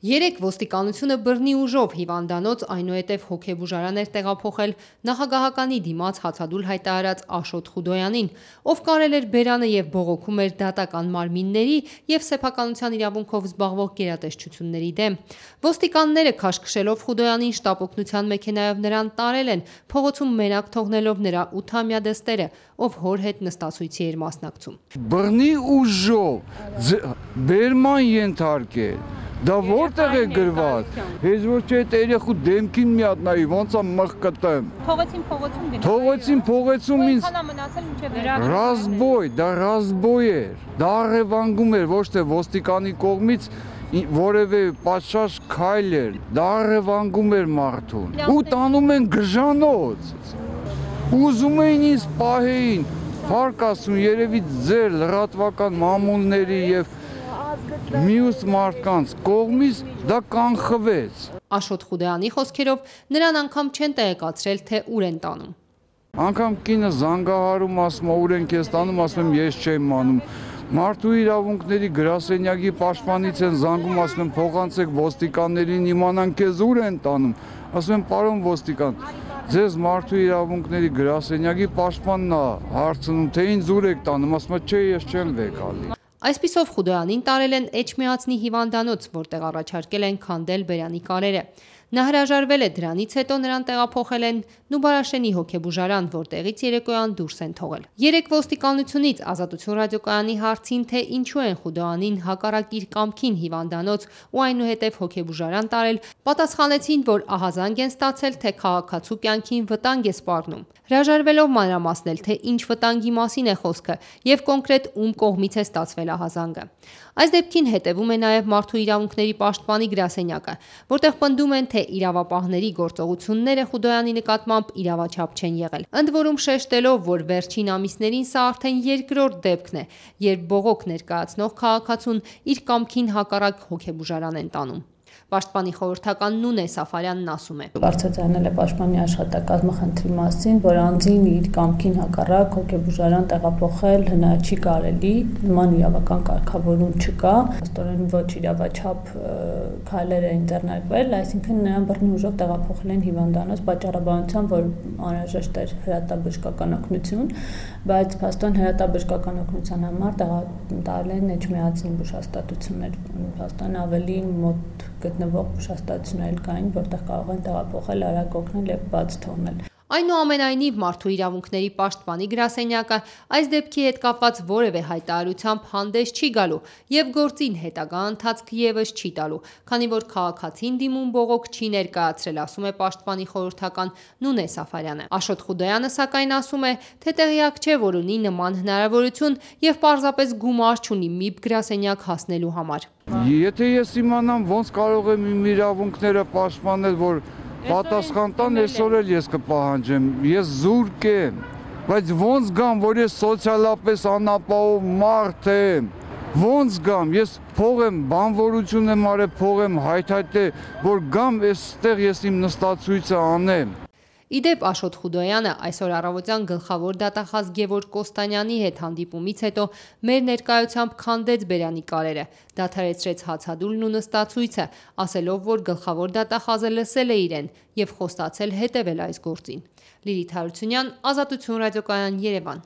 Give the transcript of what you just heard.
Երեկ ոստիկանությունը բռնի ուժով հիվանդանոց, այնուհետև հոգեբուժարան էր տեղափոխել նախագահականի դիմաց հացադուլ հայտարարած Աշոտ Խուդոյանին, ով կարել էր բերանը և բողոքում էր դատական մարմինների և սեփականության իրավունքով զբաղվող գերատեսչությունների դեմ։ Ոստիկանները քաշքշելով Խուդոյանին շտապօգնության մեքենայով նրան տարել են, փողոցում մենակ թողնելով նրա 8-ամյա դստերը, ով հոր հետ նստացույցի էր մասնակցում։ Բռնի ուժով բերման ենթարկել, դա որտեղ է գրված։ Հեզ ոչ չէ այդ երեխու դեմքին մի հատ նայի, ոնց է մղկտեմ։ Փողոցին ինձ ռազբոյ, դա ռազբոյ էր։ Դա առևանգում էր, ոչ թե ոստիկանի կողմից որևէ պատշաճ քայլ էր, դա առևանգում էր մարդուն։ Ու տանում են գժանոց։ Ուզում էին ինձ պահեին, փառք Աստծուն, երևի ձեր լրատվական մամուլների եւ մյուս մարդկանց կողմից դա կանխվեց։ Աշոտ Խուդոյանի խոսքերով նրան անգամ չեն տեղեկացրել, թե ուր են տանում։ Անգամ կինը զանգահարում, ասում ուր են քեզ տանում, ասում եմ ես չեմ անում։ Մարդու իրավունքների գրասենյակի պաշտպանից են զանգում, ասում են փոխանցեք ոստիկաններին, իմանան քեզ ուր են տանում։ Ասում եմ պարոն ոստիկան, ձեզ մարդու իրավունքների գրասենյակի պաշտպանն է հարցնում, թե ինձ ուր եք տանում, ասում եմ չէ, ես չեմ վեկալի։ Այսպիսով Խուդոյանին տարել են Էջմիածնի հիվանդանոց, որտեղ առաջարկել են քանդել բերանի կարերը։ Նա հրաժարվել է, դրանից հետո նրան տեղափոխել են Նուբարաշենի հոգեբուժարան, որտեղից երեկոյան դուրս են թողել։ Երեկ ոստիկանությունից Ազատություն ռադիոկայանի հարցին, թե ինչու են Խուդոյանին հակառակ իր կամքին հիվանդանոց ու այնուհետև հոգեբուժարան տարել, պատասխանեցին, որ ահազանգ են ստացել, թե քաղաքացու կյանքին վտանգ է սպառնում։ Հրաժարվելով մանրամասնել, թե ինչ վտանգի մասին է խոսքը և կոնկրետ ում կողմից է ստացվել ահազանգը։ Այս դեպքին հետևում է նաև Մարդու իրավունքների պաշտպանի գրասենյակը, որտեղ պնդում են, թե իրավապահների գործողությունները Խուդոյանի նկատմամբ իրավաչափ չեն եղել։ Ընդ որում շեշտելով, որ վերջին ամիսներին սա արդեն երկրորդ դեպքն է, երբ բողոք ներկայացնող քաղաքացուն իր կամքին հակառակ հոգեբուժարան են տանում։ Պաշտպանի խորհրդական Նունե Սաֆարյանն ասում է. Բարձրացնել է պաշտպանի աշխատակազմը խնդրի մասին, որ անձին իր կամքին հակառակ հոգեբուժարան տեղափոխել չի կարելի, նման իրավական կարգավորում չկա, ստորեն ոչ իրավաչափ քայլեր են ձեռնարկվել, այսինքն նրան բռնի ուժով տեղափոխել են հիվանդանոց պատճառաբանությամբ, որ անհրաժեշտ էր հրատաբժշկական օգնություն, բայց փաստորեն հրատաբժշկական օգնության համար տարել են Էջմիածնի բուժհաստատություններ, փաստորեն ավելի մոտ գտնվող բուժհաստատություններ կային, որտեղ կարող են տեղափոխել, արագ օգնել եւ բաց թողնել։ Այնուամենայնիվ Մարդու իրավունքների պաշտպանի գրասենյակը այս դեպքի հետ կապված որևէ հայտարարությամբ հանդես չի գալու եւ գործին հետագա ընթացք եւս չի տալու, քանի որ քաղաքացին դիմում բողոք չի ներկայացրել, ասում է պաշտպանի խորհրդական Նունե Սաֆարյանը։ Աշոտ Խուդոյանը սակայն ասում է, թե տեղյակ չէ, որ ունի նման հնարավորություն եւ պարզապես գումար չունի ՄԻԲ գրասենյակ հասնելու համար։ Եթե ես իմանամ ոնց կարող եմ իմ իրավունքները պաշտպանել, որ պատասխան տան, այսօր էլ ես կպահանջեմ, ես զուրկ եմ, բայց ոնց գամ, որ ես սոցիալապես անապահով մարդ եմ, ոնց գամ, ես փող եմ, բանվորություն եմ արել, փող եմ հայթայթել, որ գամ այստեղ ես իմ նստացույցը անեմ։ Իդեպ Աշոտ Խուդոյանը այսօր առավոտյան գլխավոր դատախազ Գևորգ Կոստանյանի հետ հանդիպումից հետո մեր ներկայությամբ քանդեց բերանի կարերը, դադարեցրեց հացադուլն ու նստացույցը, ասելով, որ գլխավոր դատախազը լսել է իրեն և խոստացել հետևել այս գործին։ Լիլիթ Հարությունյան, Ազատություն ռադիոկայան, Երևան։